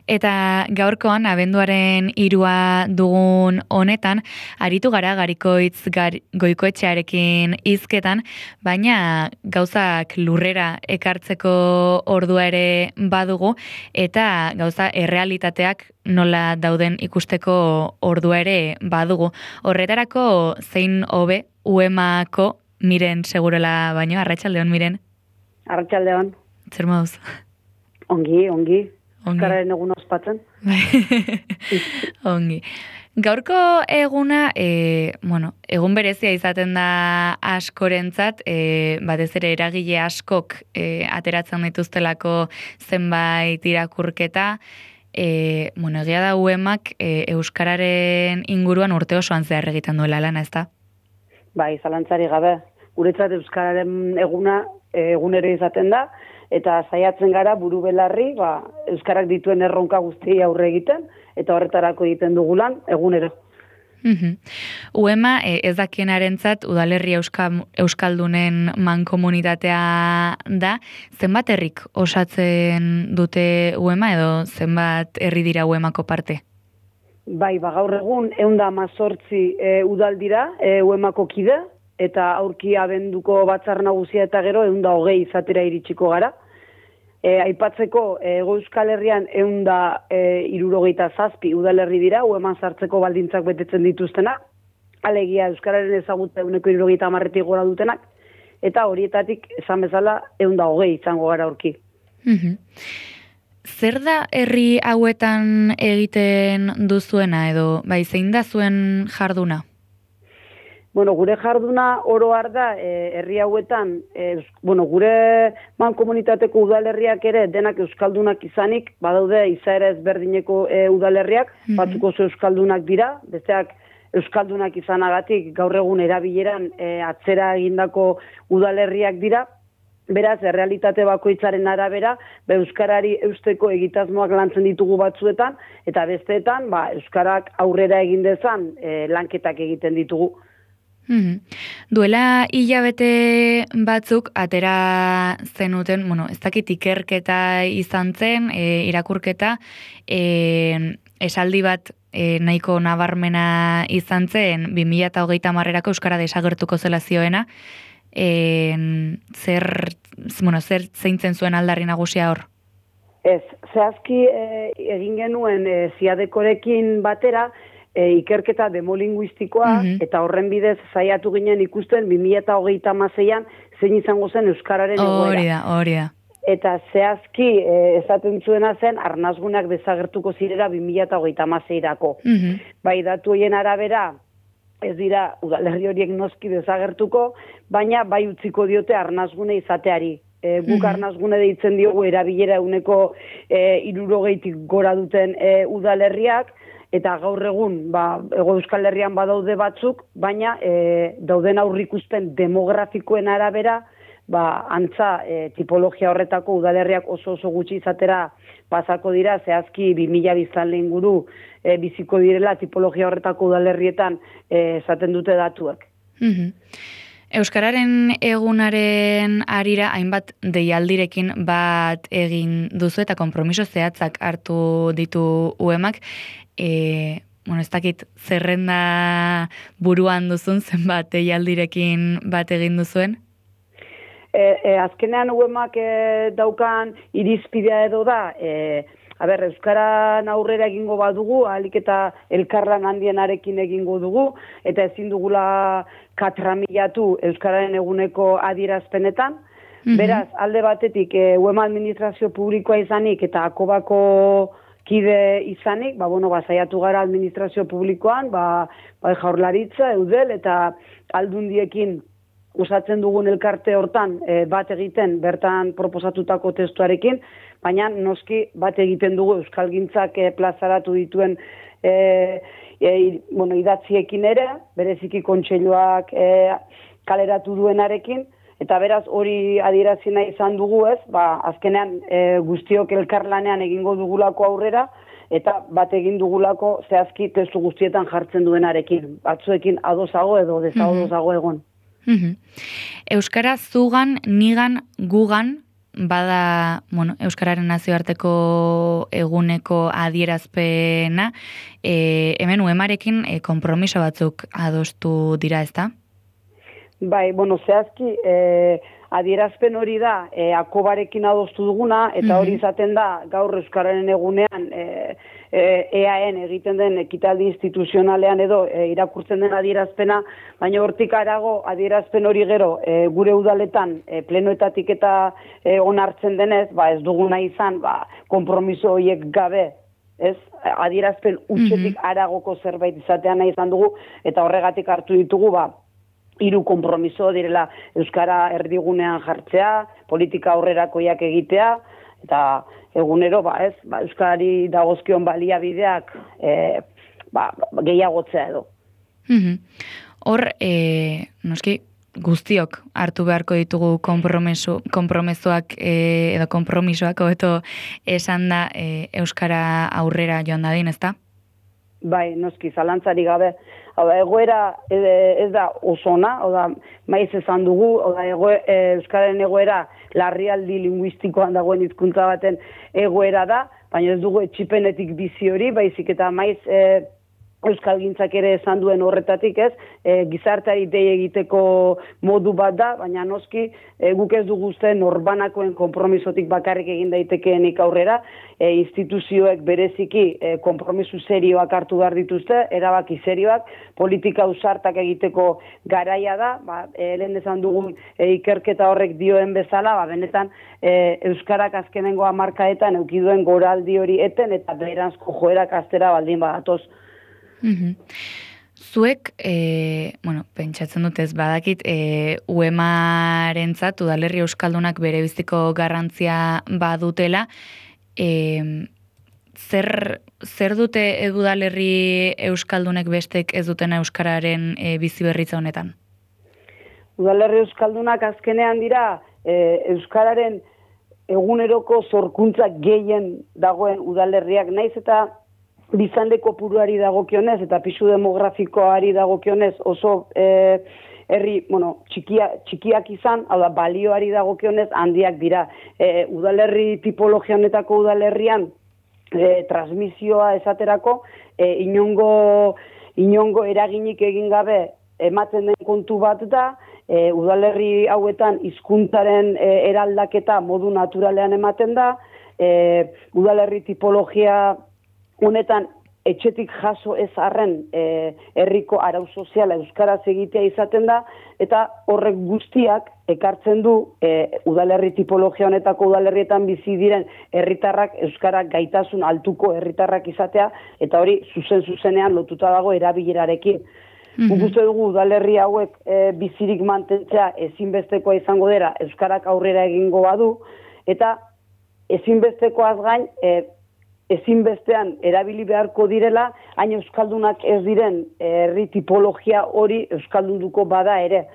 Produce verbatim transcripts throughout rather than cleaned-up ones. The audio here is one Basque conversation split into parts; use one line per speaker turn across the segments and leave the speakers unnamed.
Eta gaurkoan, abenduaren hirua dugun honetan, aritu gara Garikoitz gar, Goikoetxearekin hizketan, baina gauzak lurrera ekartzeko ordua ere badugu, eta gauza errealitateak nola dauden ikusteko ordua ere badugu. Horretarako zein hobe uemako Miren segurola baino, arratsaldeon Miren.
Arratsaldeon.
Zer moduz?
Ongi, ongi. Euskararen egun ospatzen.
Ongi. Gaurko eguna, e, bueno, egun berezia izaten da askorentzat, e, batez ere eragile askok e, ateratzen dituztelako zenbait irakurketa, e, bueno, egia da uemak e, euskararen inguruan urte osoan zehar egiten duela lana, ezta?
Bai, zalantzari gabe. Guretzat euskararen eguna egunero izaten da, eta saiatzen gara buru belarri, ba, euskarak dituen erronka guztiei aurre egiten, eta horretarako egiten dugu lan egunero.
Uhum. Uema, ez dakienarentzat udalerri euska, euskaldunen mankomunitatea da, zenbat herrik osatzen dute uema edo zenbat herri dira uemako parte?
Bai, ba, gaur egun ehun eta hamazortzi e, udal dira e, uemako kide, eta aurki abenduko batzar nagusia eta gero ehun eta hogei izatera iritsiko gara. E, aipatzeko, Hego Euskal Herrian ehun eta hirurogeita zazpi udalerri dira, ueman sartzeko baldintzak betetzen dituztenak, alegia euskararen ezagutza ehuneko hirurogeita hamarretik gora dutenak, eta horietatik esan bezala ehun eta hogei izango gara aurki.
Mhm. Zer da herri hauetan egiten duzuena edo bai zein da zuen jarduna?
Bueno, gure jarduna oro har da e, herri hauetan, e, bueno, gure mankomunitateko udalerriak ere denak euskaldunak izanik, badaude izaera ezberdineko e, udalerriak, mm-hmm. batzuk oso euskaldunak dira, besteak euskaldunak izanagatik gaur egun erabileran e, atzera egindako udalerriak dira. Beraz, errealitate bakoitzaren arabera, be euskarari eusteko egitasmoak lantzen ditugu batzuetan, eta besteetan, ba, euskarak aurrera egin dezan e, lanketak egiten ditugu.
Mm-hmm. Duela hilabete batzuk atera zenuten, bueno, ez dakit ikerketa izan zen, e, irakurketa, e, esaldi bat e, nahiko nabarmena izan zen, bi mila hogeita hamarrerako euskara desagertuko zela zioena, E, zer, bueno, zer zeintzen zuen aldarri nagusia hor?
Ez, zehazki e, egin genuen e, ziadekorekin batera e, ikerketa demolinguistikoa, mm-hmm. eta horren bidez saiatu ginen ikusten bi mila hogeita hamaseian zein izango zen euskararen egoera.
Hori da, hori da.
Eta zehazki e, esaten zuena zen arnazgunak desagertuko zirera bi mila hogeita hamaseirako. Mm-hmm. Bai, datu horien arabera, ez dira udalerri horiek noski desagertuko, baina bai utziko diote arnazgune izateari. E, guk arnazgune deitzen diogu erabilera eguneko e, hirurogeitik gora duten e, udalerriak, eta gaur egun, ba, Hego Euskal Herrian badaude batzuk, baina e, dauden aurrikuspen demografikoen arabera, ba, antza e, tipologia horretako udalerriak oso oso gutxi izatera pasako dira, zehazki bi mila biztanle inguru e, biziko direla tipologia horretako udalerrietan e, esaten dute datuak.
Mm-hmm. Euskararen egunaren arira hainbat deialdirekin bat egin duzu eta konpromiso zehatzak hartu ditu uemak. E, bueno, ez dakit zerrenda buruan duzun zenbat deialdirekin bat egin duzuen?
E, e, azkenean uemak e, daukan irizpidea edo da, e, a ber, euskaran aurrera egingo badugu, ahalik eta elkarlan handienarekin egingo dugu, eta ezin dugula katramilatu euskararen eguneko adierazpenetan. Mm-hmm. Beraz, alde batetik, e, uema administrazio publikoa izanik eta akobako kide izanik, ba, bueno, ba, saiatu gara administrazio publikoan, ba, ba, jaurlaritza, eudel, eta aldundiekin usatzen dugun elkarte hortan e, bat egiten bertan proposatutako testuarekin, baina noski bat egiten dugu euskalgintzak e, plazaratu dituen e, e, bueno, idatziekin ere, bereziki kontseiluak e, kaleratu duenarekin, eta beraz hori adierazi nahi izan dugu ez, ba, azkenean e, guztiok elkarlanean egingo dugulako aurrera, eta bat egin dugulako zehazki testu guztietan jartzen duenarekin, batzuekin adosago edo desadosago egon.
Mm-hmm. Euskara zugan, nigan, gugan, bada, bueno, Euskararen nazioarteko eguneko adierazpena, e, hemen uemarekin e, konpromiso batzuk adostu dira, ezta?
Bai, bueno, zehazki, e, adierazpen hori da, e, akobarekin adostu duguna, eta hori izaten da, gaur Euskararen egunean, e, e, eaen egiten den ekitaldi instituzionalean edo e, irakurtzen den adierazpena, baina hortik arago adierazpen hori gero e, gure udaletan e, plenoetatik eta e, onartzen denez, ba, ez duguna izan, ba, konpromiso horiek gabe, ez, adierazpen utxetik aragoko zerbait izatean nahi izan dugu, eta horregatik hartu ditugu, ba, hiru konpromiso direla Euskara erdigunean jartzea, politika aurrerakoiak egitea, eta egunero, ba, ez, ba, Euskarari dagozkion baliabideak e, ba, gehiagotzea edo.
Hor, e, noski, guztiok hartu beharko ditugu konpromesoak e, edo konpromisoak, hobeto esan da e, Euskara aurrera joan dadin, ezta?
Bai, noski, zalantzari gabe. Hau da, egoera ez da osona, hau da, maiz esan dugu, hau da, Euskararen egoera larrialdi linguistikoan dagoen hizkuntza baten egoera da, baina ez dugu etxipenetik bizi hori, baizik eta maiz e, Euskalgintzak ere esan duen horretatik, ez, e, gizarteari dei egiteko modu bat da, baina noski e, guk ez dugu uste norbanakoen konpromisotik bakarrik egin daitekeenik aurrera, e, instituzioek bereziki e, konpromiso serioak hartu behar dituzte, erabaki serioak, politika ausartak egiteko garaia da, ba, e, lehen esan dugun e, ikerketa horrek dioen bezala, ba, benetan e, Euskarak azkenengo hamarkadetan eukiduen goraldi hori eten, eta beranzko joerak astera baldin badatoz.
Mm-hmm. Zuek, e, bueno, pentsatzen dut ez badakit, e, uemarentzat udalerri euskaldunak bere biziko garrantzia badutela, e, zer, zer dute udalerri euskaldunek bestek ez dutena euskararen e, bizi berritza honetan?
Udalerri euskaldunak azkenean dira e, euskararen eguneroko sorkuntza gehien dagoen udalerriak, naiz eta bizande kopuruari dagokionez eta pisu demografikoari dagokionez oso e, herri, bueno, txikia, txikiak izan, hau da, balioari dagokionez handiak dira. E, udalerri tipologia honetako udalerrian e, transmisioa esaterako e, inongo, inongo eraginik egin gabe ematen den kontu bat da, e, udalerri hauetan hizkuntzaren e, eraldaketa modu naturalean ematen da, e, udalerri tipologia honetan etxetik jaso ez arren e, herriko arau soziala euskaraz egitea izaten da, eta horrek guztiak ekartzen du e, udalerri tipologia honetako udalerrietan bizi diren herritarrak euskarak gaitasun altuko herritarrak izatea, eta hori zuzen zuzenean lotuta dago erabilerarekin. Guk uste dugu udalerri hauek e, bizirik mantentzea ezinbestekoa izango dira euskarak aurrera egingo badu, eta ezinbestekoaz gain e, ezinbestean erabili beharko direla, hain euskaldunak ez diren herri tipologia hori euskaldunduko bada ere.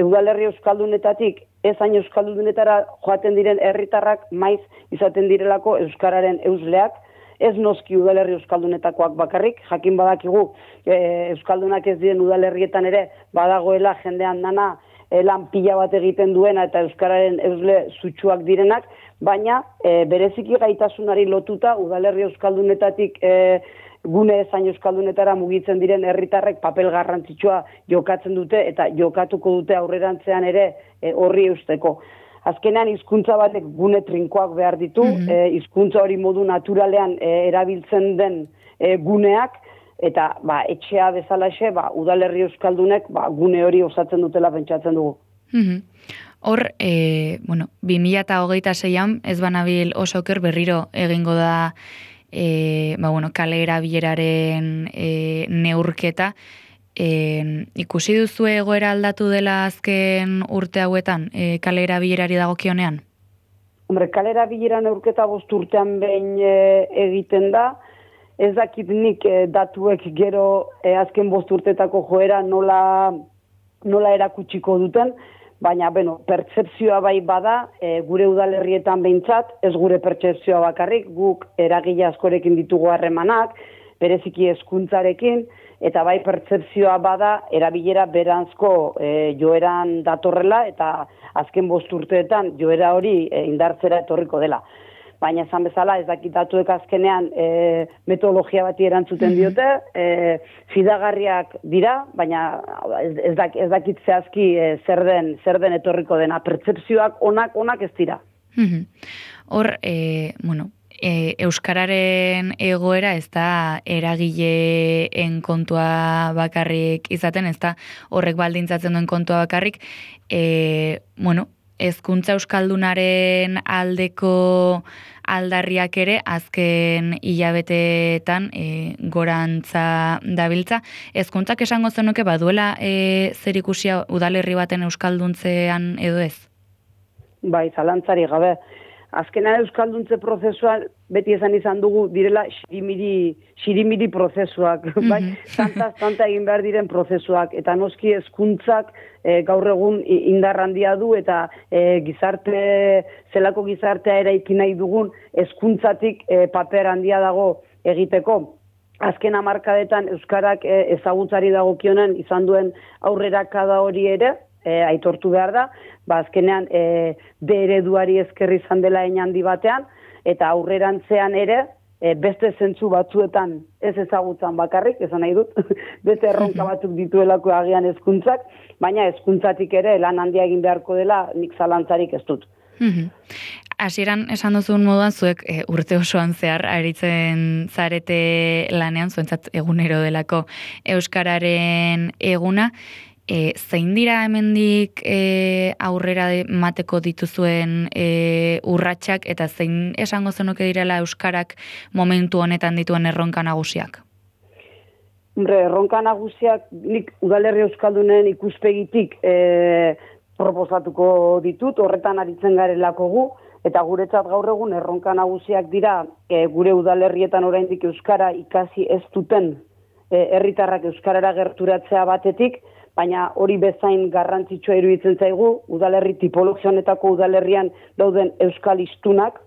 Udalerri euskaldunetatik ez hain euskaldunetara joaten diren herritarrak maiz izaten direlako euskararen eusleak, ez noski udalerri euskaldunetakoak bakarrik, jakin badakigu e, euskaldunak ez diren udalerrietan ere badagoela jendean dana e, lan pila bat egiten duena eta euskararen eusle zutsuak direnak, baina e, bereziki gaitasunari lotuta udalerri euskaldunetatik e, gune ezain euskaldunetara mugitzen diren herritarrek papel garrantzitsua jokatzen dute eta jokatuko dute aurrerantzean ere e, horri eusteko. Azkenean hizkuntza batek gune trinkoak behar ditu, mm-hmm. hizkuntza hori modu naturalean e, erabiltzen den e, guneak, eta ba, etxea bezalaxe ba, udalerri euskaldunek ba, gune hori osatzen dutela pentsatzen dugu.
Mm-hmm. Hor, e, bueno, bi mila hogeita seian ez banabil oso oker berriro egingo da e, ba, bueno, kale erabileraren e, neurketa. E, ikusi duzu egoera aldatu dela azken urte hauetan e, kale erabilerari dagokionean?
Hombre, kale erabilera neurketa bost urtean behin e, egiten da. Ez dakit nik e, datuek gero e, azken bost urtetako joera nola, nola erakutsiko duten, baina, bueno, pertsepzioa bai bada, e, gure udalerrietan behintzat, ez gure pertsepzioa bakarrik, guk eragile askorekin ditugu harremanak, bereziki hezkuntzarekin, eta bai pertzepzioa bada erabilera beranzko e, joeran datorrela, eta azken bost urteetan joera hori e, indartzera etorriko dela. Baina esan bezala ez dakit datuek azkenean e, metodologia bati erantzuten diote, e, fidagarriak dira, baina ez, ez, dak, ez dakit zehazki e, zer den, zer den etorriko dena. Pertzepzioak onak onak ez dira.
Hor, e, bueno, E, euskararen egoera ez da eragileen kontua bakarrik izaten, ez da horrek baldintzatzen duen kontua bakarrik, e, bueno, hezkuntza euskaldunaren aldeko aldarriak ere azken hilabeteetan e, gorantza dabiltza. Hezkuntzak esango zenuke baduela e, zerikusia udalerri baten euskalduntzean edo ez?
Bai, zalantzari gabe. Azkenean euskalduntze prozesuan beti esan izan dugu direla xirimiri, xirimiri prozesuak, mm-hmm. bai, tanta, tanta egin behar diren prozesuak, eta noski hezkuntzak e, gaur egun indar handia du, eta e, gizarte, zelako gizartea eraiki nahi dugun hezkuntzatik e, paper handia dago egiteko. Azken hamarkadetan euskarak e, ezagutzari dagokionen izan duen aurrerakada hori ere, E, aitortu behar da, ba, azkenean e, de ereduari esker izan dela handi batean, eta aurrerantzean ere, e, beste zentzu batzuetan ez ezagutzan bakarrik, esan nahi dut, beste erronka batzuk dituelako agian hezkuntzak, baina hezkuntzatik ere lan handia egin beharko dela nik zalantzarik ez dut.
Hasieran esan duzun moduan zuek e, urte osoan zehar aritzen zarete lanean, zuentzat egunero delako euskararen eguna. E, zein dira hemendik e, aurrera mateko dituzuen e, urratsak eta zein esango zenuke direla euskarak momentu honetan dituen erronka nagusiak?
Hombre, erronka nagusiak nik udalerri euskaldunen ikuspegitik e, proposatuko ditut, horretan aritzen garelako gu, eta guretzat gaur egun erronka nagusiak dira e, gure udalerrietan oraindik euskara ikasi ez duten e, herritarrak euskarara gerturatzea batetik, baina hori bezain garrantzitsua iruditzen zaigu, udalerri tipologia honetako udalerrian dauden euskalistunak,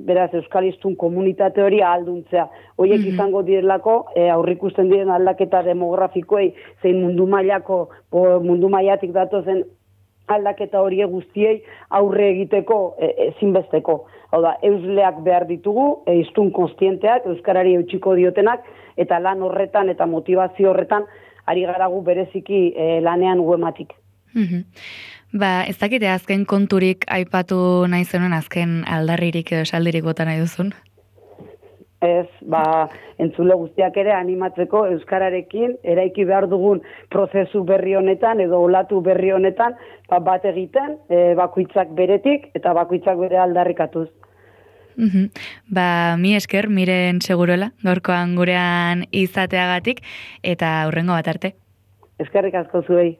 beraz euskalistun komunitate hori ahalduntzea. Hoiek mm-hmm. izango direlako e, aurrikusten diren aldaketa demografikoei, zein mundu mailako, mundu mailatik datozen aldaketa hori guztiei aurre egiteko e, ezinbesteko. Hau da, eusleak behar ditugu, e, hiztun kontzienteak, euskarari eutxiko diotenak, eta lan horretan eta motivazio horretan ari garagu bereziki e, lanean uematik.
Mm-hmm. Ba, ez dakite azken konturik aipatu nahi zenuen azken aldarririk edo esaldirik bota nahi duzun?
Ez, ba, entzule guztiak ere animatzeko euskararekin eraiki behar dugun prozesu berri honetan edo olatu berri honetan ba, bat egiten e, bakoitzak beretik eta bakoitzak bere aldarrikatuz.
Mm-hmm. Ba, mi esker, Miren Segurola, gaurkoan gurean izateagatik, eta hurrengo bat arte.
Eskerrik asko zuei.